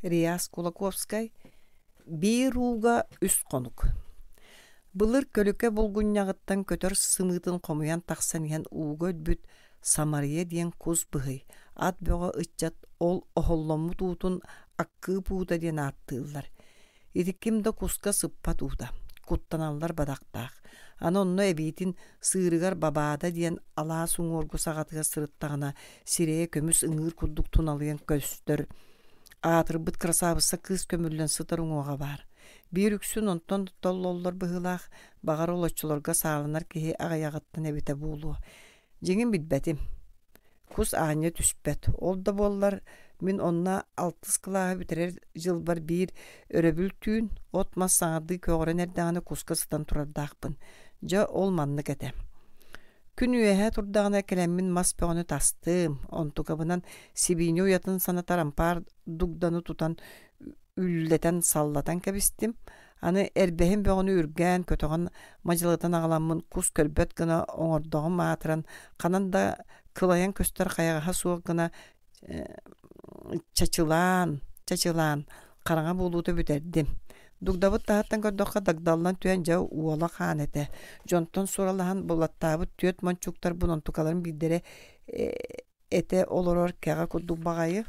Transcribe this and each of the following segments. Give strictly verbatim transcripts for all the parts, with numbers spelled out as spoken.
Реас Кулаковскай Биир ууга үс хонук. Былыр көлүкэ булгунньаҕыттан көтөр сымыытын хомуйан тахсан иһэн ууга өлбүт Самария диэн кус быһый, ат бөҕө ыччат ол оһолломмут уутун аккыып уута диэн ааттыыллар. Ити ким да куска сыппат уута, куттаналлар бадахтаах. Аны онно эбиитин сыырыгар Бабаада диэн алаас уҥуоргу саҕатыгар сырыттаҕына сирэйэ көмүс ыҥыыр курдук туналыйан көстөр аатырбыт кырасаабысса кыыс көмүллэн сытар уҥуоҕа баар. Биир үксүн онтон толлоллор быһыылаах, баҕар ол оччолорго сааланар киһи аҕыйаҕыттан эбитэ буолуо. Дьиҥин билбэтим. Кус аанньа түспэт. Ол да буоллар, мин онно алтыс кылааһы бүтэрэр дьылбар биир өрөбүл түүн от-мас саҥардыы көҕөрөн эрдэҕинэ куска сытан турардаахпын. Дьэ, ол маннык этэ. Күн үөһэ турдаҕына кэлэммин мас бөҕөнү тастым, онтукабынан сибиинньэ уйатын санатар ампаар дугданы тутан үллэтэн саллатан кэбистим. Аны эрбэһин бөҕөнү үргээн, көтөҕөн мадьалытан аҕаламмын кус көрбөт гына оҥордоҕум аатыран, ханан да кылайан көстөр хайаҕаһа суох гына чачылаан, чачылаан хараҥа буолуута бүтэрдим. Дугдабыт таһыттан көрдөххө дагдаллан түһэн дьэ уола хаан этэ. Дьонтон суралаһан булаттаабыт түөрт мончууктарбын онтукаларын биирдэрэ этэ олорор кэҕэ курдук баҕайы,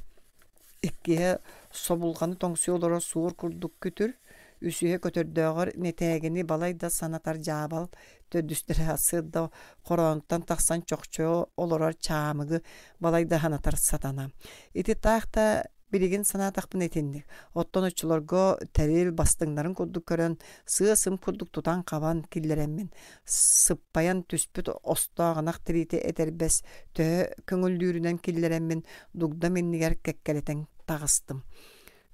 иккиһэ собулҕаны тоҥсуйа олорор суор курдук күтүр, үсүһэ көтөрдөөҕөр нэтээгини балай да санатар дьаабал, төрдүстэрэ сырда хороонтон тахсан чохчойо олорор чаамыгы балай да санатар сатана. Ити таах да билигин санаатахпына итинник. Оттон оччолорго тэрил бастыҥнарын курдук көрөн, сыа-сым курдук тутан-хабан киллэрэммин, сыппайан түспүт остоох ынах тириитэ этэрбэс төһө көҥүллүүрүнэн киллэрэммин дугдам иннигэр кэккэлэтэн таҕыстым.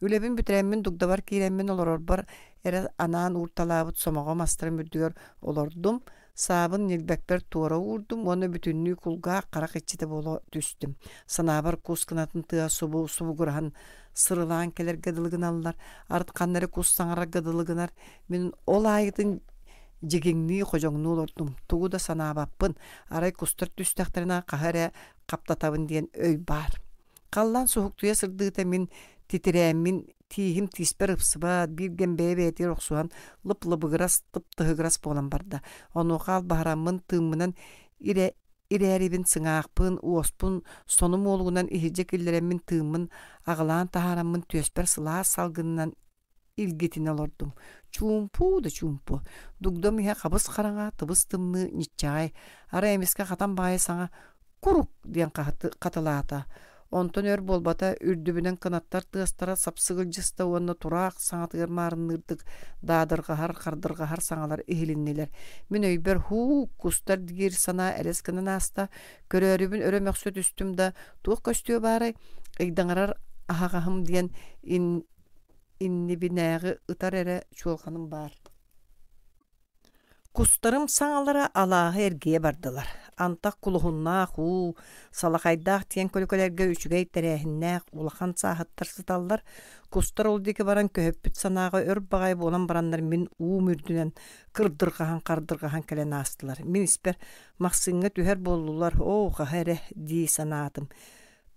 Үлэбин бүтэрэммин дугдабар киирэммин олорорбор эрэ анаан уурталаабыт сомоҕо мастарым үрдүгэр олордум, саабын ньилбэкпэр туора уурдум уонна бүтүннүү кулгаах харах иччитэ буола түстүм. Санаабар кус кынатын тыа субу субугураһан сырылаан кэлэргэ дылы гыналлар, арыт ханна эрэ кус саҥарарга дылы гынар. Мин ол аайытын дьигиҥнии ходьоҥнуу олордум, тугу да санаабаппын, арай кустар түстэхтэринэ хаһа эрэ хаптатабын диэн өй баар. Халлаан суһуктуйа сырдыыта мин титирээммин тииһим тииспэр ыпсыбат, биир кэм бэйэ-бэйэтигэр охсуһан лып-лыбыгырас, тып-тыһыгырас буолан барда. Онуоха албаһыраммын тыыммынан ирэ ирээрибин сыҥаахпын, уоспун сонум уолугунан иһирдьэ киллэрэммин тыыммын аҕылаан таһаараммын түөспэр сылаас салгынынан илгитинэ олордум. Чуумпу да чуумпу. Дугдам иһэ хабыс-хараҥа, тыбыс-тымныы, ньиччэҕэй. Арай эмискэ хатан баайы саҥа «Курук!» диэн хатылаата. Онтон өр буолбата, үрдүбүнэн кынаттар тыастара сапсыгылдьыста уонна тураах саҥатыгар маарынныырдык даадырҕаһар, хардырҕаһар саҥалар иһилиннилэр. Мин өйбөр «Һуу, кустар» диир санаа элэс гынан ааста. Көрөөрүбүн өрө мөхсө түстүм да, туох көстүө баарай, ыйдаҥарар аһаҕаһым диэн ин иннибинээҕи ытар эрэ чуолҕаным баар. Кустарым саҥалара алааһы эргийэ бардылар. Антах кулуһуннаах уу, салахайдаах диэн көлүкэлэргэ үчүгэй тэрээһиннээх улахан сааһыттар сыталлар. Кустар ол диэки баран көһүппүт санааҕа өр баҕайы буолан бараннар мин уум үрдүнэн кырдырҕаһан хардырҕаһан кэлэн аастылар. Мин испэр махсыҥҥа түһэр буоллулар, оо, хаһа эрэ дии санаатым.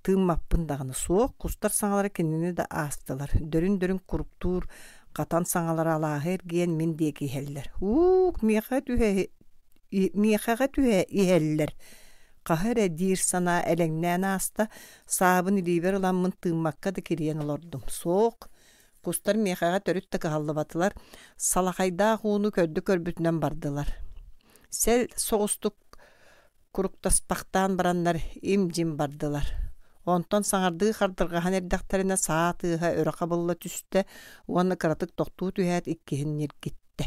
Тыыммаппын даҕаны суох, кустар саҥалара кинини да аастылар. Дөрүн-дөрүн куруктуур хатан саҥалара алааһы эргийэн мин диэки иһэллэр. Уук, миэхэ түһэ миэхэҕэ түһэ иһэллэр. Хаһа эрэ диир санаа элэҥнээн ааста, саабын илиибэр ыламмын тыыммакка да кирийэн олордум. Суох, кустар миэхэҕэ төрүт да кыһаллыбатылар, салахайдаах ууну көрдө-көрбүтүнэн бардылар. Сэл соҕустук куруктаспахтаан бараннар им-дьим бардылар. Онтон саҥардыы хардырҕаһан эрдэхтэринэ саа тыаһа өрө хабылла түстэ уонна кыратык тохтуу түһээт иккиһин ньиргиттэ.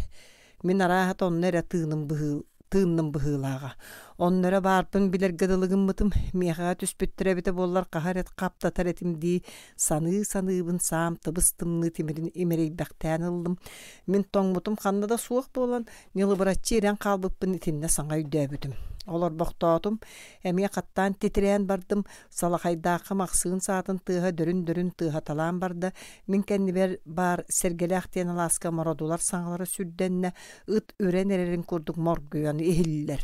Мин арааһата онно эрэ тыыным быһыы тыынным быһыылааҕа. Онно эрэ баарбын билэргэ дылы гыммытым, миэхэҕэ түспүттэрэ эбитэ буоллар хаһа эрэ хаптатар этим дии саныы-саныыбын саам тыбыс-тымныы тимирин имэрийбэхтээн ыллым. Мин тоҥмутум ханна да суох буолан, ньылыбыраччы ирэн хаалбыппын итиннэ саҥа өйдөөбүтүм. Олорбохтоотум, эмиэ хаттаан титирээн бардым, салахайдаахха махсыын саатын тыаһа дөрүн-дөрүн тыаһаталаан барда, мин кэннибэр баар Сэргэлээх диэн алааска мородулар саҥалара сүрдэннэ, ыт үрэн эрэрин курдук моргуйан иһиллэр.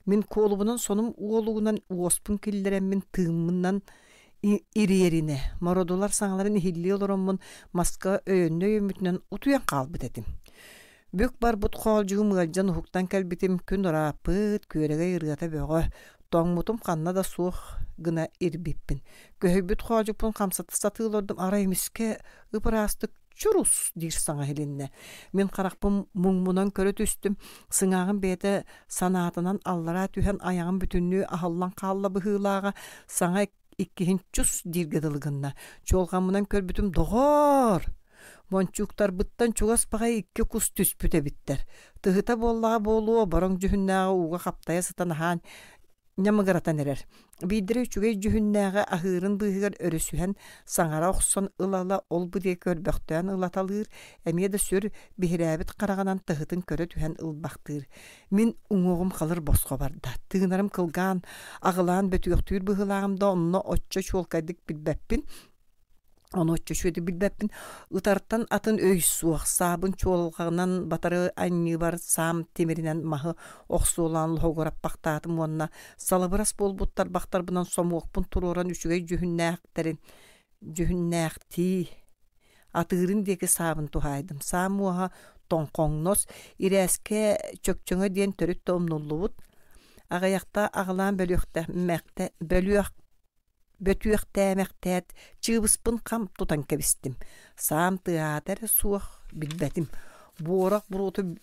Мин куолубунан сонум уолугунан уоспун киллэрэммин тыыммынан Ириэринэ мородулар саҥаларын иһиллии олороммун маска өйөннө өйөммүтүнэн утуйан хаалбыт этим. Бүк барбыт хоолдьугум ыалдьан уһуктан кэлбитим күн ырааппыт, күөрэгэй ырыата бөҕө, тоҥмутум ханна да суох гына ирбиппин. Көһүйбүт хоолдьукпун хамсата сатыы олордум, арай эмискэ ып-ыраастык чурус диир саҥа иһилиннэ. Мин харахпын муҥмунан көрө түстүм, сыҥааҕым бэйэтэ санаатынан аллараа түһэн айаҕым бүтүннүү аһыллан хаалла быһыылааҕа, саҥа иккиһин чус дииргэ дылы гынна. Чуолҕаммынан көрбүтүм доҕоор! Мончууктарбыттан чугас баҕайы икки кус түспүт эбиттэр. Тыһыта буоллаҕа буолуо, бороҥ дьүһүннээҕи ууга хаптайа сытан аһаан ньамыгыратан эрэр. Биирдэрэ үчүгэй дьүһүннээҕи аһыырын быыһыгар өрүсүһэн саҥара охсон ыла-ыла ол-бу диэки көрбөхтөөн ылаталыыр, эмиэ да сүр биһирээбит хараҕынан тыһытын көрө түһэн ылбахтыыр. Мин уҥуоҕум халыр босхо барда. Тыынарым кылгаан, аҕылаан бөтүөхтүүр быһыылааҕым да онно оччо чуолкайдык билбэппин. Ону оччо үчүгэйдик билбэппин. Ытартан атын өй суох. Саабын чуолҕанан батары анньыыбар саам тимиринэн маһы охсуолаан лоһугураппахтаатым уонна салыбырас буолбут тарбахтарбынан сомуокпун туруоран үчүгэй дьүһүннээхтэрин дьүһүннээхтии атыырын диэки саабын туһаайдым. Саам уоһа тоҥхоҥнос, ирээскэ чөкчөҥө диэн төрүт да умнуллубут. Аҕыйахта аҕылаан бөлүөхтэ мэхтэ бөлүөх бөтүөхтээмэхтээт чыыбыспын хам тутан кэбистим. Саам тыаһаата эрэ суох билбэтим. Буорах буруоту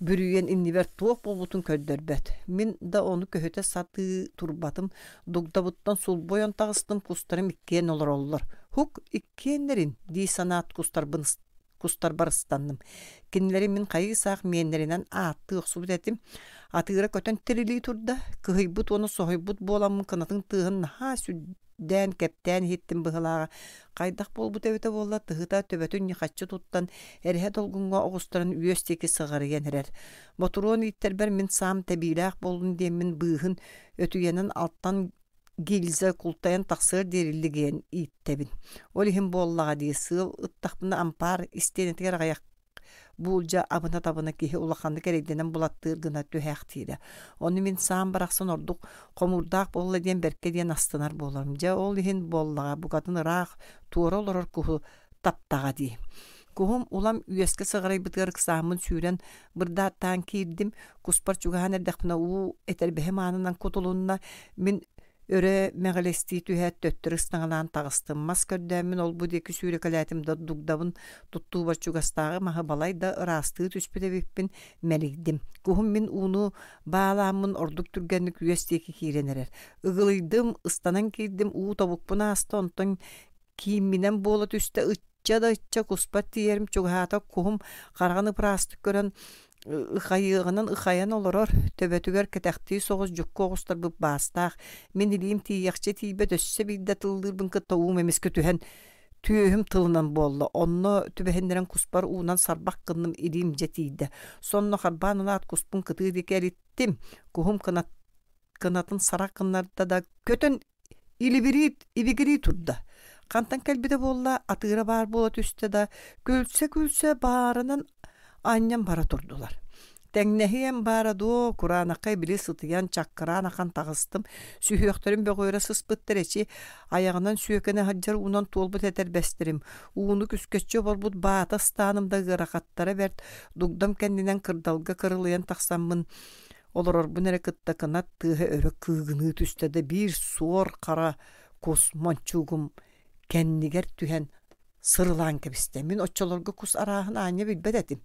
бүрүйэн иннибэр туох буолбутун көрдөрбөт. Мин да ону көһүтэ сатыы турбатым. Дугдабыттан сулбойон таҕыстым, кустарым иккиэн олороллор. Хук иккиэннэрин дии санаат кустарбын кустарбар ыстанным. Кинилэри мин хайыы-саах миэннэринэн ааттыы охсубут этим. Атыыра көтөн тирилии турда. Кыһыйбыт уонна соһуйбут буоламмын кынатын тыаһын наһаа сүрдээн кэптээн иһиттим быһылааҕа. Хайдах буолбут эбитэ буолла, тыһыта төбөтүн ньыхаччы туттан, эрэһэ долгуҥҥа оҕустаран үөс диэки сыҕарыйан эрэр. Ботуруон ииттэрбэр мин саам тэбиилээх буоллун диэммин быыһын өтүйэнэн алтан гильза култайан тахсыар диэриллигиэн ииттэбин. Ол иһин буоллаҕа дии, сыал ыттахпына ампаар истиэнэтигэр аҕыйах буулдьа абына-табына киһи улаханнык эрэйдэнэн булаттыыр гына түһээхтиирэ. Ону мин саам барахсан ордук хомуурдаах буолла диэн бэркэ диэн астынар буоларым. Дьэ ол иһин буоллаҕа букатын ыраах туора олорор куһу таптаҕа дии. Куһум улам үөскэ сыҕарыйбытыгар ыксааммын сүүрэн бырдааттаан киирдим. Куспар чугаһаан эрдэхпинэ уу этэрбэһим аанынан кутулунна. Мин өрө мэҕилэстии түһээт төттөрү ыстаҥалаан таҕыстым. Мас көрдөөммүн ол-бу диэки сүүрэкэлээтим да дугдабын туттуубар чугастааҕы маһы балай да ыраастыы түспүт эбиппин мэлийдим. Куһум мин ууну баалааммын ордук түргэнник үөс диэки киирэн эрэр. Ыгылыйдым, ыстанан киирдим, уу тобукпун ааста, онтон киимминэн буола түстэ, ычча да ычча куспат тиийэрим чугаһаата куһум хараҕын ыпыраастык көрөн ыхайыаҕынан ыхайан олорор, төбөтүгэр кэтэхтии соҕус дьукку оҕустарбыт баастаах. Мин илиим тиийиэхчэ тиийбэт, өссө биирдэ тыллыырбын кытта уум эмискэ түһэн түөһүм тылынан буолла. Онно түбэһиннэрэн куспар уунан сарбах гынным, илиим дьэ тиийдэ. Сонно харбаан ылаат куспун кытыы диэки эриттим. Куһум кынат, кынатын сарах гыннарда да көтөн илибирии ибигирии турда. Хантан кэлбитэ буолла, атыыра баар буола түстэ да, күлсэ-күлсэ баарынан анньан бара турдулар. Тэҥнэһиэм баара дуо, кураанахха били сытыйан чаккыраан ахан таҕыстым. Сүһүөхтэрим бөҕүөрэ сыспыттар эчи, айаҕынан сүөкэнэ сылдьар уунан туолбут этэрбэстэрим. Ууну күскэччи оборбут баата ыстааным да ыарахаттара бэрт. Дугдам кэннинэн кырдалга кырылыйан тахсаммын олорорбун эрэ кытта кынат тыаһа өрө кыыгыныы түстэ да биир суор хара кус мончуугум кэннигэр түһэн сырылаан кэбистэ. Мин оччолорго кус арааһын аанньа билбэт этим.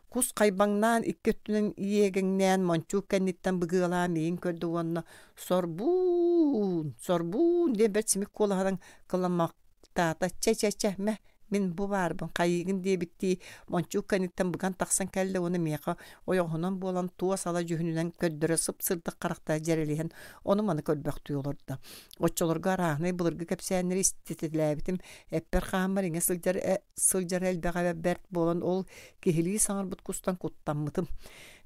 Кус хайбаҥнаан икки өттүнэн иэгэҥнээн мончуук кэнниттэн быгыалаан миигин көрдө уонна сорбуун, сорбуун диэн бэрт симик куолаһынан кыламмахтаата. Чэ-чэ-чэ, мэ, мин бу баарбын хайыыгын диэбиттии мончуук кэнниттэн быган тахсан кэллэ уонна миэхэ ойоҕоһунан буолан туос ала дьүһүнүнэн көрдөрө сып-сырдык харахтаах дьэрэлиһэн ону-маны көрбөхтүү олордо. Оччолорго арааһынай былыргы кэпсээннэри иститэлээбитим, эппэр хааммар иҥэ сылдьар э, сылдьар элбэҕэ бэрт буолан ол киһилии саҥарбыт кустан куттаммытым.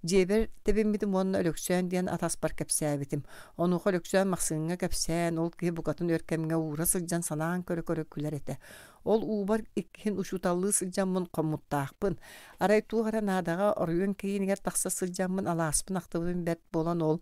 Дьиэбэр тэбиммитим уонна Өлөксөөн диэн атаспар кэпсээбитим. Онуоха Өлөксөөн Махсыыҥҥа кэпсээн, ол киһи букатын өр кэмҥэ уура сылдьан санаан көрө-көрө күлэр этэ. Ол уубар иккиһин учууталлыы сылдьаммын хоммуттаахпын. Арай туох эрэ наадаҕа оройуон киинигэр тахса сылдьаммын алааспын ахтыбытым бэрт буолан ол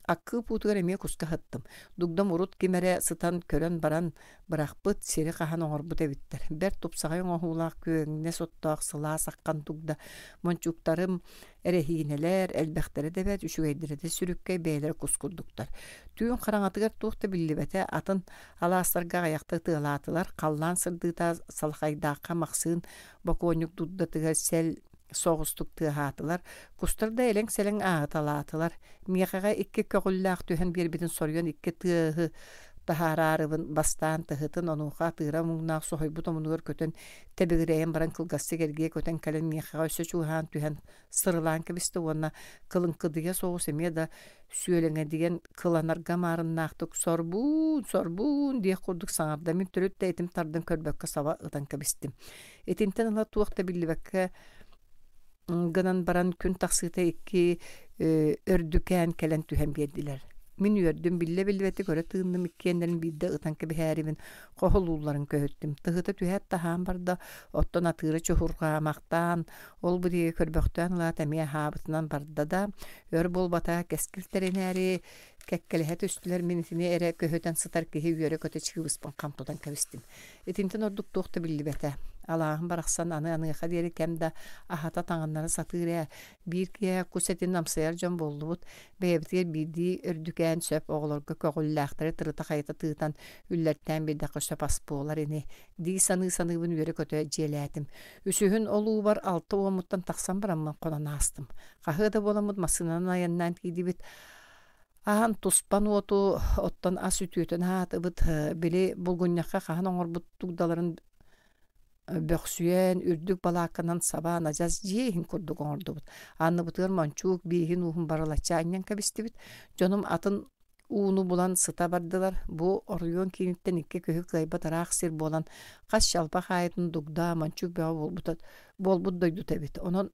аккыып уутугар эмиэ куска сыттым. Дугдам урут ким эрэ сытан көрөн баран бырахпыт, сири хаһан оҥорбут эбиттэр. Бэрт тупсаҕай оҥоһуулаах күөҥнэс оттоох сылаас аххан дугда. Мончууктарым эрэһиинэлэр, элбэхтэрэ да бэрт, үчүгэйдэрэ да сүрүккэй, бэйэлэрэ кус курдуктар. Түүн хараҥатыгар туох да биллибэтэ, атын алаастарга аҕыйахта ытыалаатылар. Халлаан сырдыыта Салхайдаахха Махсыын бокуонньук дурдатыгар сэл соҕустук тыаһаатылар, кустар да элэҥ-сэлэҥ ааһыталаатылар. Миэхэҕэ икки көҕүллээх түһэн биэрбитин соруйан икки тыаһы таһаараарыбын бастаан тыһытын, онуоха атыыра муҥнаах соһуйбут омунугар көтөн тэбигирэйэн баран кылгастык эргийэ көтөн кэлэн миэхэҕэ өссө чугаһаан түһэн сырылаан кэбистэ уонна кылыҥкыдыйа соҕус эмиэ да сүөлэҥэдийэн кыланарга маарыннаахтык «Сорбуун, сорбуун» диэх курдук саҥарда. Мин төрүт да этим тардан көрбөккө саба ытан кэбистим. Итинтэн ыла туох да биллибэккэ гынан баран күн тахсыыта икки өрдүкээн кэлэн түһэн биэрдилэр. Мин үөрдүм, биллэ-биллибэтик өрө тыынным, иккиэннэрин биирдэ ытан кэбиһээрибин хоһулуулларын көһүттүм. Тыһыта түһээт таһаан барда, оттон атыыра чуһурҕаамахтаан, ол бу диэки көрбөхтөөн ылаат эмиэ аһаабытынан барда да, өр буолбата кэскил тэринээри кэккэлэһэ түстүлэр, мин итини эрэ көһүтэн сытар киһи үөрэ-көтө чыыбыспын хам тутан кэбистим. Итинтэн ордук туох да биллибэтэ. Алааһым барахсан аны аныаха диэри кэм да аһата таҥыннара сатыыр ээ. Биир киэһэ кус этин амсайар дьон буоллубут. Бэйэбитигэр биирдии өрдүкээн сөп оҕолорго көҕүллээхтэри тырыта-хайыта тыытан үллэртээн биэрдэххэ сөп ас буолар ини дии саныы-саныыбын үөрэ-көтө дьиэлээтим. Үсүһүн ол уубар алта уоммуттан тахсан бараммын хонон аастым. Хаһыа да буоламмыт массыынанан айаннаан тиийдибит. Аан туспан уоту оттон ас үтүөтүн аһаатыбыт. Били булгунньахха хаһан оҥорбут дугдаларын бөхсүйэн, үрдүк балаакканан сабаан адьас дьиэ иһин курдук оҥордубут. Анныбытыгар мончуук бииһин ууһун барылаччы анньан кэбистибит. Дьонум атын ууну булан сыта бардылар. Бу оройуон кииниттэн икки көһү кыайбат ыраах сир буолан, хас чалбах аайытын дугда, мончуук бөҕө буолбута, буолбут дойдута эбит. Онон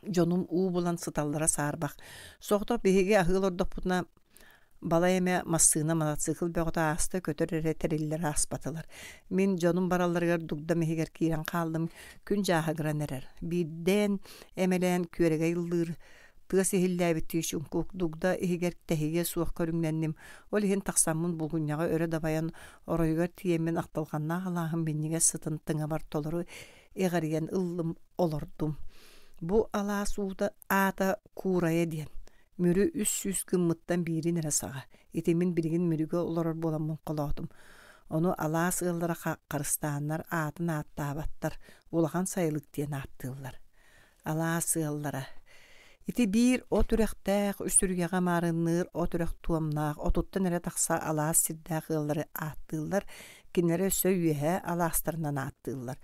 дьонум уу булан сыталлара саарбах. Соҕотох биһиги аһыы олордохпутуна балай эмэ массыына, мотоцикл бөҕөтө ааста, көтөр эрэ тэриллэр ааспатылар. Мин дьонум баралларыгар дугдам иһигэр киирэн хааллым, күн дьааһыгыран эрэр. Биирдээн эмэлээн күөрэгэй ыллыыр, тыас иһиллээбиттии чуҥкук дугда иһигэр тэһийиэ суох көрүҥнэнним. Ол иһин тахсаммын булгунньаҕы өрө дабайан оройугар тиийэммин ахтылҕаннаах алааһым минньигэс сытын тыҥабар толору иҕэрийэн ыллым, олордум. Бу алаас уута аата Куурайа диэн. Мүрү үс сүүс гыммыттан биирин эрэ саҕа. Ити мин билигин Мүрүгэ олорор буоламмын холоотум. Ону алаас ыаллара харыстааннар аатын ааттаабаттар, улахан сайылык диэн ааттыыллар. Алаас ыаллара. Ити биир от үрэхтээх, үс үрүйэҕэ маарынныыр от үрэх туомнаах, отуттан эрэ тахса алаас сирдээх ыаллары ааттыыллар, кинилэри өссө үөһээ алаастарынан ааттыыллар.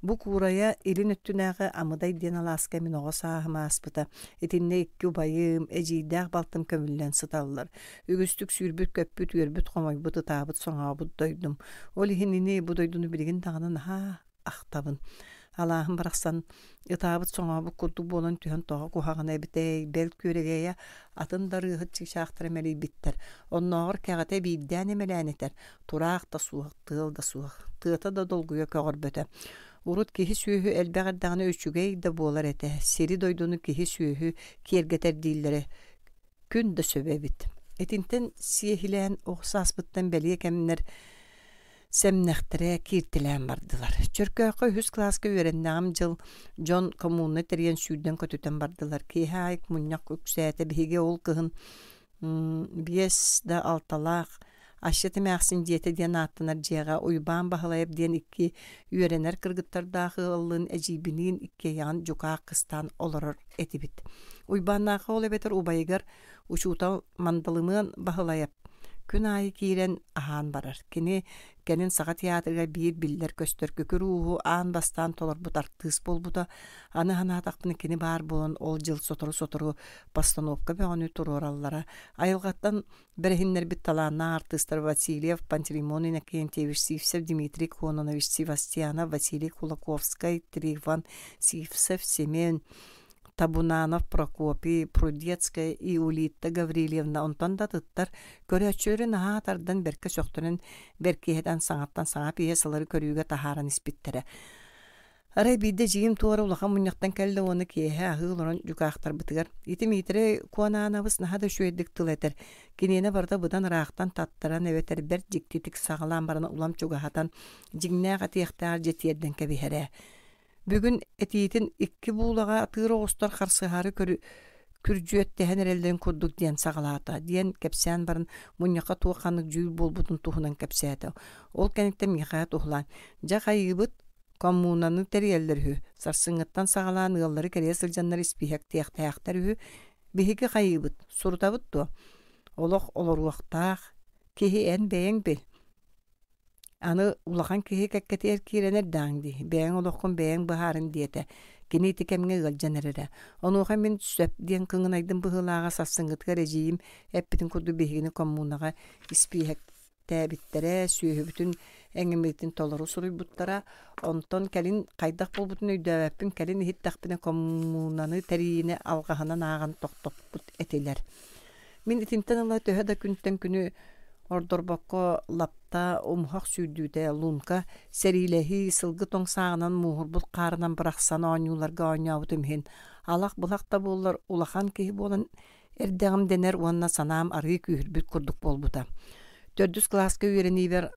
Бу Куурайа илин өттүнээҕи Амыдай диэн алааска мин оҕо сааһым ааспыта. Итиннэ икки убайым, эдьиийдээх балтым көмүллэн сыталлар. Үгүстүк сүүрбүт-көппүт, үөрбүт-хомойбут, ытаабыт-соҥообут дойдум. Ол иһин ини бу дойдуну билигин даҕаны наһаа ахтабын. Алааһым барахсан ытаабыт-соҥообут курдук буолан түһэн тоҕо куһаҕана эбитэй, бэл күөрэгэйэ атын да ырыаһыт чыычаахтара мэлийбиттэр. Оннооҕор кэҕэтэ биирдээн эмэлээн этэр, тураах да суох, тыал да суох, тыата да долгуйа көҕөрбөтө. Урут киһи-сүөһү элбэх эрдэҕинэ үчүгэй да буолар этэ, сири-дойдуну киһи-сүөһү киэргэтэр дииллэрэ күн да сөбө эбит. Итинтэн сиэһилээн оҕо сааспыттан бэлиэ кэмнэр сэмнэхтэрэ кииртэлээн бардылар. Чөркөөххө үһүс кылааска үөрэннэҕим дьыл дьон коммуна тэрийэн сүүрдэн көтүтэн бардылар. Киэһэ аайы мунньах үксээтэ. Биһиги ол кыһын биэс да алталаах Асчыт эмээхсин дьиэтэ диэн ааттанар дьиэҕэ Уйбаан Баһылайап диэн икки үөрэнэр кыргыттардаах ыаллыын эдьиийбиниин иккиэйэҕин дьукаах кыстаан олорор этибит. Уйбааннаахха ол эбэтэр убайыгар учуутал Мандалымыан Баһылайап күн аайы киирэн аһаан барар. Кини кэлин Саха театрыгар биир биллэр-көстөр күкүр ууһу аан бастаан толорбут артыыс буолбута. Аны санаатахпына кини баар буолан ол дьыл сотору-сотору постановка бөҕөнү туруораллара. Айылҕаттан бэрэһиннэрбит талааннаах артыыстар Васильев Пантелеймон Иннокентьевич, Сивцев Дмитрий Кононович, Севастьянов Василий Кулаковскай, Трифон Сивцев, Семен Табунанов Прокопий, Прудецкая Иулитта Гаврильевна онтон да атыттар көрөөччүлэри наһаа тардан бэркэ сөхтөрөн бэркиһэтэн саҥаттан саҥа пьесалары көрүүгэ таһааран испиттэрэ. Арай биирдэ дьиим туора улахан мунньахтан кэллэ уонна киэһэ аһыы олорон дьукаахтарбытыгар ити Миитэрэй Куонаанабыс наһаа да үчүгэйдик тыл этэр, киниэнэ барыта быдан ыраахтан таттаран эбэтэр бэрт дьиктитик саҕалаан баран улам чугаһатан дьиҥнээх этиэхтээх дьэ тиэрдэн кэбиһэрэ. Бүгүн этиитин икки буулаҕа атыыр оҕустар харсыһаары көрү күрдьүөттэһэн эрэллэрин курдук диэн саҕалаата диэн кэпсээн баран мунньахха туох ханнык дьүүл буолбутун туһунан кэпсээтэ. Ол кэнниттэн миэхэ туһулаан дьэ хайыыбыт коммунаны тэрийэллэр үһү сарсыҥҥыттан саҕалаан ыаллары кэрийэ сылдьаннар испииһэктиэхтээхтэр үһү биһиги хайыыбыт сурутабыт дуо олох олоруохтаах киһи эн бэйэҥ бил аны улахан киһи кэккэтигэр киирэн эрдэҕиҥ дии бэйэҥ олоххун бэйэҥ быһаарын диэтэ кини ити кэмҥэ ыалдьан эрэрэ онуоха мин сөп диэн кыҥынайдым быһыылааҕа сарсыҥҥытыгар эдьиийим эппитин курдук биһигини коммунаҕа испииһэктээбиттэрэ сүөһүбүтүн эҥиммитин толору суруйбуттара онтон кэлин хайдах буолбутун өйдөөбөппүн кэлин иһиттэхпинэ коммунаны тэрийиини алҕаһынан ааҕан тохтоппут этилэр мин итинтэн ыла төһө да күнтэн күнү ордорбокко лапта умуһах сүүрдүүтэ лунка сэриилэһии сылгы тоҥ сааҕынан мууһурбут хаарынан бырахсан оонньууларга оонньообутум иһин алах-былах да буоллар улахан киһи буолан эрдэҕим дэнэр уонна санаам арыы күүһүрбүт курдук буолбута төрдүс кылааска үөрэниибэр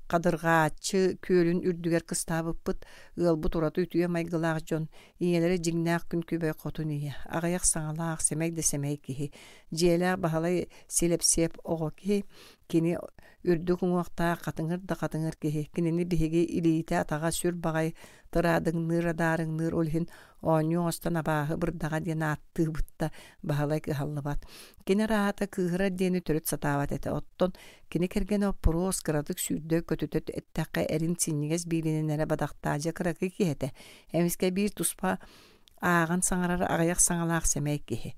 Хадырҕааччы күөлүн үрдүгэр кыстаабыппыт, ыалбыт ураты үтүө майгылаах дьон, ийэлэрэ дьиҥнээх күн күбэй хотун ийэ, аҕыйах саҥалаах, сэмэй да сэмэй киһи, дьиэлээх Баһылай Силэпсиэп оҕо киһи, кини үрдүк уҥуохтаах хатыҥыр да хатыҥыр киһи, кинини биһиги илиитэ-атаҕа сүр баҕай тыраадыҥныыр адаарыҥныыр ол иһин оонньуу оҥостон абааһы бырдаҕа диэн ааттыыбыт да Баһылай кыһаллыбат. Кини араата кыыһырар диэни төрүт сатаабат этэ. Оттон кини кэргэнэ Оппуруос кыратык сүүрдэ көтүтэ эттэххэ эрин синньигэс биилинэн эрэ бадахтаадьа кыракый киһи этэ. Эмискэ биир туспа ааҕан саҥарар аҕыйах саҥалаах сэмэй киһи.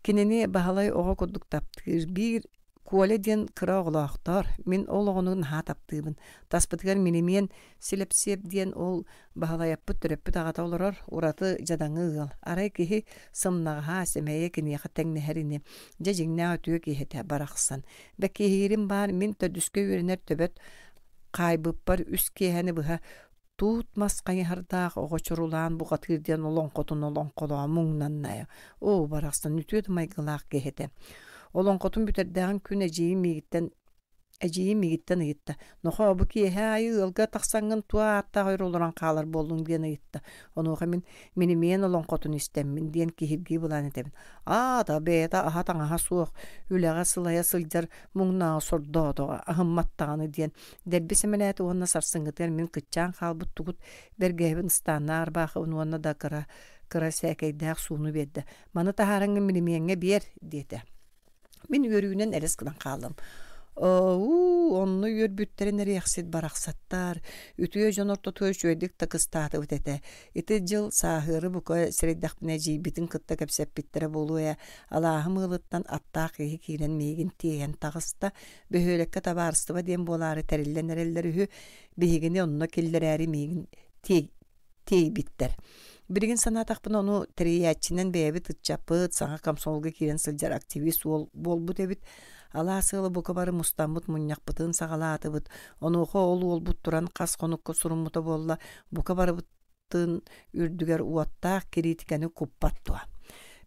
Кинини Баһылай оҕо курдук таптыыр, биир Коля диэн кыра оҕолоохтор, мин ол оҕону наһаа таптыыбын. Таспытыгар Минимиэн Силэпсиэп диэн ол Баһылайаппыт төрөппүт аҕата олорор, ураты дьадаҥы ыал. Арай киһи сымнаҕаһа, сэмэйэ киниэхэ тэҥнэһэр ини. Дьэ дьиҥнээх үтүө киһи этэ барахсан. Бэкиһиирим баар мин төрдүскэ үөрэнэр төбөт хаайбыппар үс киэһэни быһа туут мас хайыһардаах оҕо чурулаан бухатыыр диэн олоҥхотун олоҥхолоон муҥнанна. Оо, барахсан үтүө да майгылаах киһи этэ. Олоҥхотун бүтэрдээҕин күн эдьиийим миигиттэн Эдьиийим миигиттэн ыйытта: «Нохоо, бу киэһэ аайы ыалга тахсаҥҥын туох ааттаах өр олорон хаалар буоллуҥ?» диэн ыйытта. Онуоха мин «Минимиэн олоҥхотун истэммин» диэн киһиргии былаан этэбин. «Аата, бэйэтэ аһа-таҥаһа суох, үлэҕэ сылайа сылдьар муҥнааҕы сордоотоҕо, аһыммат даҕаны» диэн дэлби сэмэлээтэ уонна сарсыҥҥытыгар мин кыччаан хаалбыт тугут бэргэһэбин ыстааннаах ырбаахыбын уонна да кыра кыра сээкэйдээх сууну биэрдэ. «Маны таһаараҥҥын минимиэҥҥэ биэр» диэтэ. Мин үөрүүнэн элэс гынан хааллым. Оо, онно үөрбүттэрин эриэхсит барахсаттар, үтүө дьон ортотугар үчүгэйдик да кыстаатыбыт этэ. Ити дьыл сааһыары бука сэрэйдэхпинэ эдьиийбитин кытта кэпсэппиттэрэ буолуо ээ, алааһым ыалыттан аттаах киһи киирэн миигин тиэйэн таҕыста. Бөһүөлэккэ табаарыстыба диэн буолаары тэриллэн эрэллэр үһү, биһигини онно киллэрээри миигин тиэй тиэйбиттэр. Билигин санаатахпына ону тэрийээччинэн бэйэбит ыччаппыт, саҥа комсомолга киирэн сылдьар активист уол буолбут эбит. Алаас ыала бука бары мустаммыт мунньахпытын саҕалаатыбыт. Онуоха ол уолбут туран хас хонукка суруммута буолла, бука барыбытын үрдүгэр уоттаах кириитикэни куппат дуо.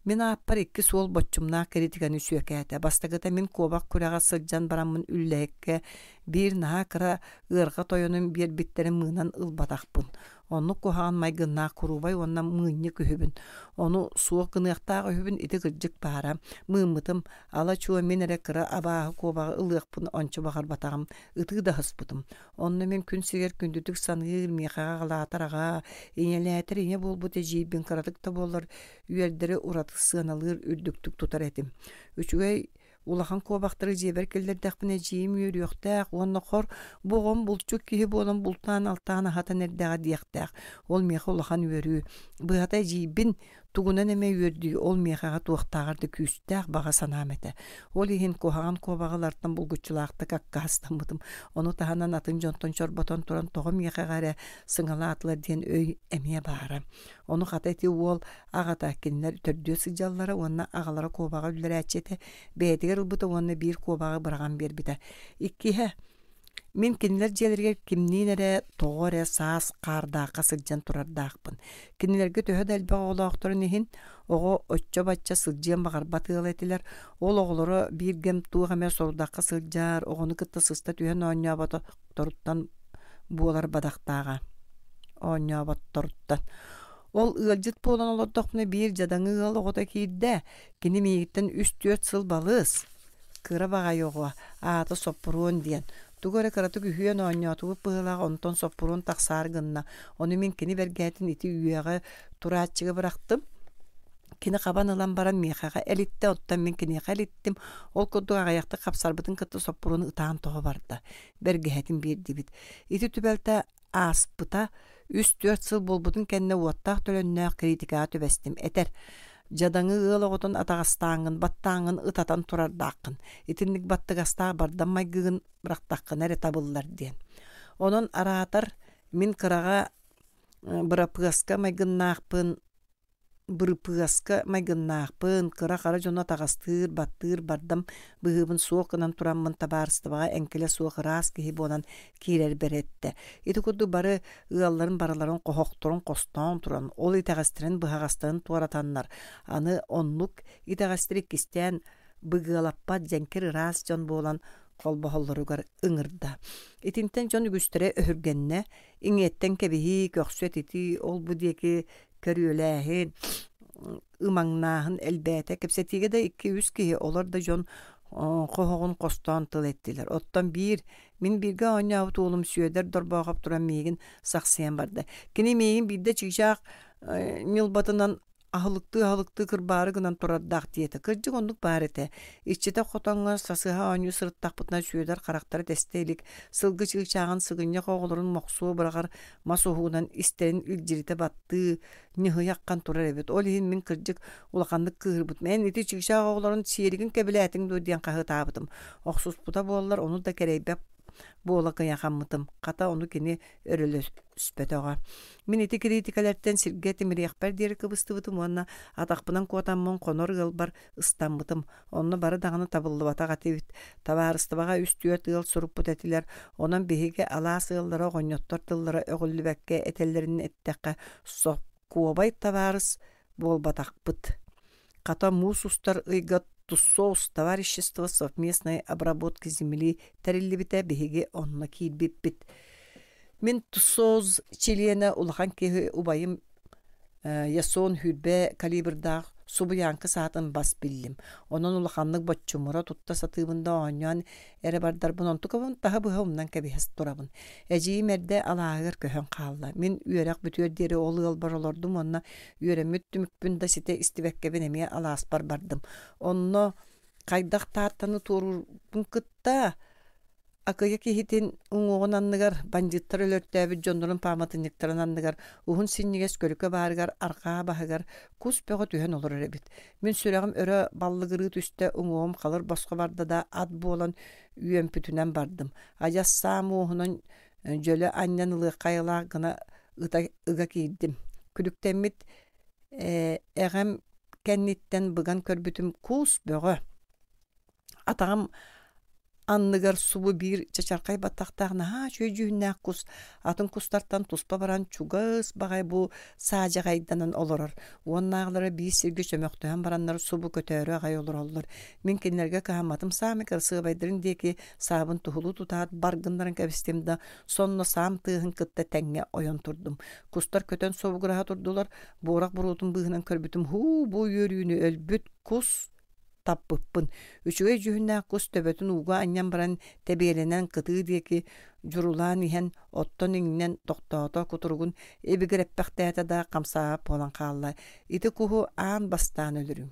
Мин ааппар икки суол боччумнаах кириитикэни сүөкээтэ. Бастакыта мин куобах күрэҕэ сылдьан бараммын үллэһиккэ биир наһаа кыра ыарҕа тойонун биэрбиттэрин мыынан ылбатахпын. Оннук куһаҕан майгыннаах куруубай уонна мыынньык үһүбүн. Ону суох гыныахтаах үһүбүн ити кырдьык баара. Мыыммытым, ала-чуо мин эрэ кыра абааһы куобаҕы ылыахпын ончу баҕарбатаҕым, ытыы да аһыспытым. Онно мин күн сиригэр күндүтүк саныыр, миэхэҕэ аҕалаатар аҕаа, ийэлээтэр ийэ буолбут эдьиийбин кыратык да буоллар үөрдэри ураты сыаналыыр үрдүктүк тутар этим. Үчүгэй улахан куобахтары дьиэбэр киллэрдэхпинэ эдьиийим үөрүөхтээх уонна хор бу оҕом булчут киһи буолан бултаан-алтаан аһатан эрдэҕэ диэхтээх. Ол миэхэ улахан үөрүү. Быһата эдьиийбин Тугунан эмэ үөрдүү ол миэхэҕэ туохтааҕар да күүстээх баҕа санаам этэ. Ол иһин куһаҕан куобаҕылартан булгуччулаахтык аккаастаммытым. Ону таһынан атын дьонтон чорботон туран тоҕо миэхэҕэ эрэ сыҥалаатылар диэн өй эмиэ баара. Ону хата ити уол аҕата кинилэр төрдүө сылдьаллара уонна аҕалара куобаҕы үллэрээччи этэ, бэйэтигэр ылбыта уонна биир куобаҕы быраҕан биэрбитэ. Иккиһэ, мин кинилэр дьиэлэригэр кимниин эрэ тоҕо эрэ саас хаардаахха сылдьан турардаахпын. Кинилэргэ төһө да элбэх оҕолоохторун иһин, оҕо оччо-бачча сылдьыан баҕарбат ыала этилэр. Ол оҕолоро биир кэм туох эмэ сорудахха сылдьар, оҕону кытта сыста түһэн оонньооботторуттан буолар бадахтааҕа. Оонньооботторуттан. Ол ыалдьыт буолан олордохпуна биир дьадаҥы ыал оҕото киирдэ. Кини миигиттэн үс-түөрт сыл балыс. Кыра баҕайы оҕо, аата Соппуруон диэн. Тугу эрэ кыратык үһүөн оонньоотубут быһыылаах, онтон Соппуруон тахсаары гынна. Ону мин кини бэргээтин ити үөҕэ турааччыга бырахтым. Кини хабан ылан баран миэхэҕэ элиттэ, оттон мин киниэхэ элиттим. Ол курдук аҕыйахтык хапсарбытын кытта Соппуруон ытаан тоҕо барда. Бэргэһэтин биэрдибит. Ити түбэлтэ ааспыта үс-түөрт сыл буолбутун кэннэ уоттаах төлөннөөх критикаҕа түбэстим. Этэр: дьадаҥы ыал оҕотун атаҕастааҥҥын, баттааҥҥын ытатан турардааххын. Итинник баттыгастаах бардам майгыгын бырахтаххына эрэ табыллар диэн. Онон араатар мин кыраҕа бырапыаска майгыннаахпын, бырыпыаска майгыннаахпын, кыра-хара дьону атаҕастыыр, баттыыр, бардам быһыыбын суох гынан тураммын табаарыстыбаҕа эҥкилэ суох ыраас киһи буолан киирэрбэр эттэ. Ити курдук бары ыалларын барыларын хоһохторун хостоон туран, ол итэҕэстэрин быһаҕастарын туоратаннар, аны оннук итэҕэстэри иккистээн быгыалаппат дьэҥкир ыраас дьон буолан холбоһоллоругар ыҥырда. Итинтэн дьон үгүстэрэ өһүргэннэ, иҥиэттэн кэбиһии, көхсү этитии, ол-бу диэки көрүөлээһин, ымаҥнааһын элбээтэ. Кэпсэтиигэ да икки-үс киһи, олор да дьон хоһоҕун хостоон тыл эттилэр. Оттон биир, мин бииргэ оонньообут уолум Сүөдэр Дорбоохоп туран миигин сахсыйан барда. Кини миигин биирдэ чыычаах ньылбатынан аһылыктыы-аһылыктыы кырбаары гынан турардаах диэтэ. Кырдьык оннук баар этэ. Иччитэх хотоҥҥо сасыһа оонньуу сырыттахпытына Сүөдэр харахтара тэстэ илик, сылгы чыычааҕын сыгынньах оҕолорун мохсуо быраҕар мас уһугунан истэрин илдьиритэ баттыы, ньыһыйа аххан турар эбит. Ол иһин мин кырдьык улаханнык кыыһырбытым. Эн ити чыычаах оҕолорун сиэригин кэбилээтиҥ дуо диэн хаһыытаабытым. Охсуспута буоллар, ону да кэрэйбэт буола кыйахаммытым. Хата ону кини өрөлөспөтөҕө. Мин ити кириитикэлэртэн сиргэ тимириэхпэр диэри кыбыстыбытым уонна атахпынан куотаммын хонор ыалбар ыстаммытым. Онно бары даҕаны табыллыбатах этибит. Табаарыстыбаҕа үс-түөрт ыал суруппут этилэр. Онон биһиги алаас ыаллара оҕонньоттор тыллара өҕүллүбэккэ этэллэрин эттэххэ, сокуобай табаарыс буолбатахпыт. Хата муус устар ыйга ТУСОС, товарищество совместной обработки земли тэриллибитэ, биһиги онно киирбиппит. Мин ТУСОС чилиэнэ улахан киһи убайым Ясон Хүрбэ калибрдаах субуйааҥкы саатын бас биллим. Онон улаханнык боччумура тутта сатыыбын да оонньоон эрэ бардарбын онтукабын таһы быһа умнан кэбиһэ турабын. Эдьиийим эрдэ алааһыгар көһөн хаалла. Мин үөрэх бүтүөр диэри ол ыалбар олордум уонна үөрэммит түмүкпүн да ситэ истибэккэбин эмиэ алааспар бардым. Онно хайдах тааттаны туоруурбун кытта акыйа киһитин уҥуоҕун анныгар, бандьыыттар өлөртөөбүт дьоннорун пааматынньыктарын анныгар, уһун синньигэс көлүкэ баарыгар арҕаа баһыгар кус бөҕө түһэн олорор эбит. Мин сүрэҕим өрө баллыгырыы түстэ, уҥуоҕум халыр босхо барда да ат буолан үөмпүтүнэн бардым. Адьас саам уоһунан дьөлө анньан ылыахха айылаах гына ыта ыга киирдим. Күлүктэммит эҕэм кэнниттэн быган көрбүтүм кус бөҕө. Атаҕым анныгар субу биир чачархай баттахтаах наһаа үчүгэй дьүһүннээх кус атын кустартан туспа баран чугас баҕай бу саадьаҕайданан олорор. Уоннааҕылара биир сиргэ чөмөхтөһөн бараннар субу көтөөрү аҕай олороллор. Мин кинилэргэ кыһамматым саамай кырасыабайдарын диэки саабын туһулуу тутаат бар гыннаран кэбистим да сонно саам тыаһын кытта тэҥҥэ ойон турдум. Кустар көтөн собугураһа турдулар, буорах буруотун быыһынан көрбүтүм һуу бу үөрүүнү өлбүт кус таппыппын. Үчүгэй дьүһүннээх кус төбөтүн ууга анньан баран тэбиэлэнэн кытыы диэки дьурулаан иһэн оттон иҥнэн тохтоото, кутуругун ибигирэппэхтээтэ да хамсаабат буолан хаалла. Ити куһу аан бастаан өлөрүм.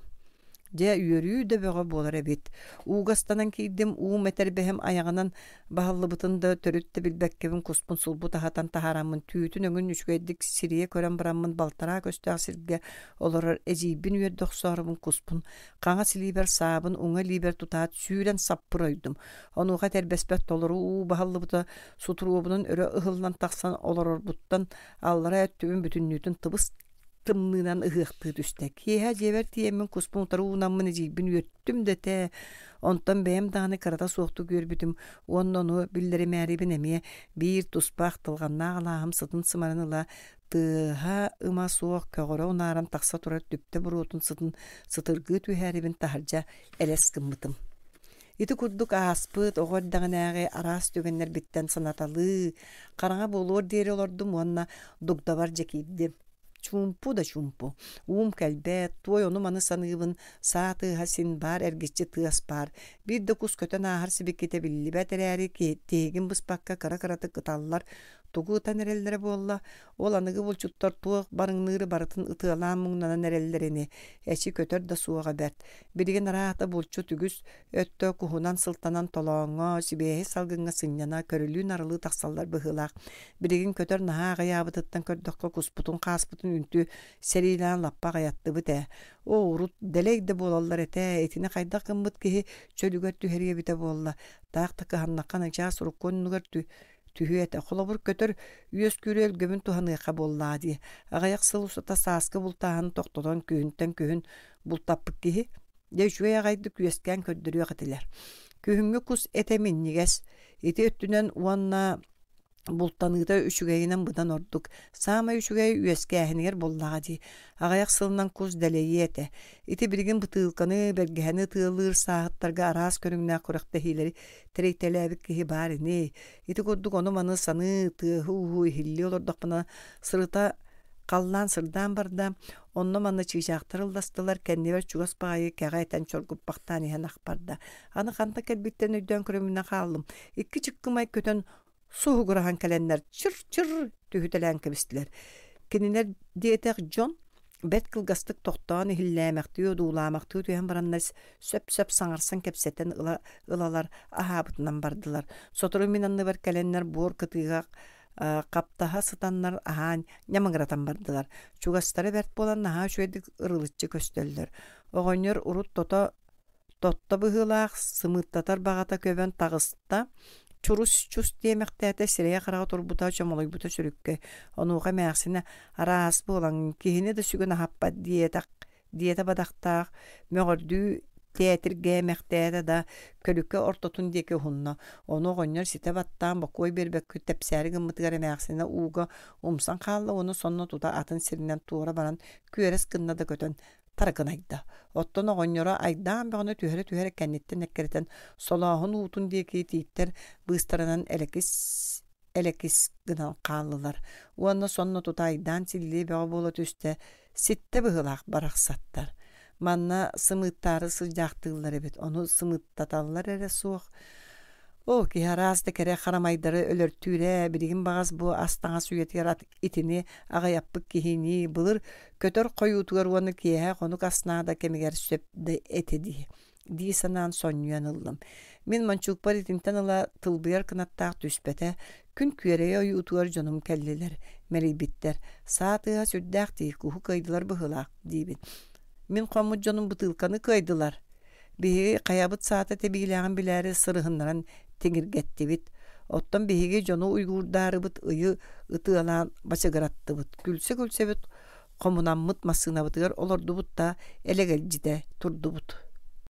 Дьэ, үөрүү да бөҕө буолар эбит. Ууга ыстанан киирдим, уум этэрбэһим айаҕынан баһыллыбытын да төрүт да билбэккэбин куспун сулбу таһатан таһаараммын түүтүн өҥүн үчүгэйдик сирийэ көрөн бараммын балтараа көстөөх сиргэ олорор эдьиийбин үөрдэ охсоорубун куспун хаҥас илиибэр саабын уҥа илиибэр тутаат сүүрэн саппыр ойдум. Онуоха этэрбэспэр толору уу баһыллыбыта сутуруобунан өрө ыһыллан тахсан олорорбуттан аллара өттүбүн бүтүннүүтүн тыбыс тымныынан ыһыахтыы түстэ. Киэһэ дьиэбэр тиийэммин куспун утары уунаммын эдьиийбин үөртүм да этэ. Онтон бэйэм даҕаны кырата суохтук үөрбүтүм уонна ону биллэримээрибин эмиэ биир туспа ахтылҕаннаах алааһым сытын сымарын ыла тыаһа ыма суох көҕөрө унааран тахса турар түптэ буруотун сытын сытыргыы түһээрибин таһырдьа элэс гыммытым. Ити курдук ааспыт оҕо эрдэҕинээҕи араас түгэннэрбиттэн санаталыы, хараҥа буолуор диэри олордум уонна дугдабар дьэ киирдим. Чуумпу да чуумпу. Уум кэлбэт, туой ону-маны саныыбын, саа тыаһа син баар эргиччи тыас баар. Биир да кус көтөн ааһар сибикитэ биллибэт эрээри тиһигин быспакка кыра-кыратык ыталлар, тугу ытан эрэллэрэ буолла, ол аныгы булчуттар туох барыҥныыры барытын ытыалаан муҥнанан эрэллэр ини, эчи көтөр да суоҕа бэрт. Билигин араата булчут үгүс өттө куһунан сылтанан толооҥҥо, сибиэһэй салгыҥҥа сынньана, көрүлүү-нарылыы тахсаллар быһыылаах. Билигин көтөр наһаа аҕыйаабытыттан көрдөххө куспутун хааспытын үнтү сэриилээн лаппа аҕыйаттыбыт ээ. Оо, урут дэлэй да буолаллар этэ, итини хайдах гыммыт киһи чөлүгэр түһэриэ эбитэ буолла. Таах да кыһаннахха начаас урукку оннугар түһүө этэ. Холобур, көтөр үөскүүрү өлгөмүн туһаныахха буоллаа дии. Аҕыйах сыл устата сааскы бултааһын тохтотон күһүнтэн күһүн бултаппыт киһи, дьэ үчүгэй аҕайдык үөскээн көрдөрүөх этилэр. Күһүҥҥү кус этэ минньигэс, ити өттүнэн уонна бултаныыта үчүгэйинэн быдан ордук. Саамай үчүгэй үөскээһинигэр буоллаҕа дии. Аҕыйах сылынан кус дэлэйиэ этэ. Ити билигин бытыылканы, бэргэһэни ытыалыыр сааһыттарга араас көрүҥнээх күрэхтэһиилэри тэрийтэлээбит киһи баар ини. Ити курдук ону-маны саныы, тыаһы-ууһу иһиллии олордохпуна сырыта халлаан сырдаан барда, онно-манна чыычаахтар ылластылар, кэннибэр чугас баҕайы кэҕэ этэн чоргуппахтаан иһэн ахпарда. Аны ханна кэлбиттэн өйдөөн көрөмүнэ хааллым. Икки чыккымай көтөн суһугураһан кэлэннэр чыр-чыр түһүтэлээн кэбистилэр. Кинилэр диэтэх дьон бэрт кылгастык тохтоон иһиллээмэхтии одуулаамахтыы түһэн бараннар сөп-сөп саҥарсан кэпсэтэн ыла ылалар аһаабытынан бардылар. Сотору мин анныбар кэлэннэр буор кытыыга хаптаһа сытаннар аһаан ньамыгыратан бардылар. Чугастара бэрт буолан наһаа үчүгэйдик ырылыччы көстөллөр. Оҕонньор урут тото тотто быһыылаах сымыыттатар баҕата көбөн таҕыста. Чурус-чус диэмэхтээтэ сирэйэ хараҕа турбута чомолойбута сүрүккэ. Онуоха эмээхсинэ араас буолан киһини да сүгүн аһаппат диэтэх диэтэ бадахтаах мөҕөрдүү тээтиргээмэхтээтэ да көлүкэ ортотун диэки уһунна. Ону оҕонньор ситэ баттаан бокуой биэрбэккэ тэпсээри гыммытыгар эмээхсинэ ууга умсан хаалла уонна сонно тута атын сиринэн туора баран күөрэс гынна да көтөн таракынайда. Оттон оҕонньоро айдаан бөҕөнү түһэрэ-түһэрэ кэнниттэн эккирэтэн солооһун уутун диэки тииттэр быыстарынан элэкис элэкис гынан хааллылар. Уонна сонно тута айдаан силлиэ бөҕө буола түстэ, ситтэ быһыылаах барахсаттар. Манна сымыыттаары сылдьаахтыыллар эбит, ону сымыыттаталлар эрэ суох. Оо, киһи араас да кэрэ харамайдары өлөртүүрэ, билигин баҕас бу ас-таҥас үйэтигэр ат итини аҕыйаппыт киһинии былыр көтөр хойуутугар уонна киэһэ хонук ас наада кэмигэр сөп да этэ дии дии санаан сонньуйан ыллым. Мин мончуукпар итинтэн ыла тылбыйар кынаттаах түспэтэ, күн күөрэйэ ойуутугар дьонум кэллилэр, мэлийбиттэр. Саа тыаһа сүрдээх дии, куһу кыайдылар быһыылаах диибин. Мин хоммут дьонум бытыылканы кыайдылар. Биһиги хайабыт саата тэбиилээҕин билээри сырыһыннаран тиҥиргэттибит. Оттон биһиги дьону уйгуурдаарыбыт ыйы ытыалаан бачыгыраттыбыт. Күлсэ-күлсэбит хомунаммыт массыынабытыгар олордубут да элэгэлдьитэ турдубут.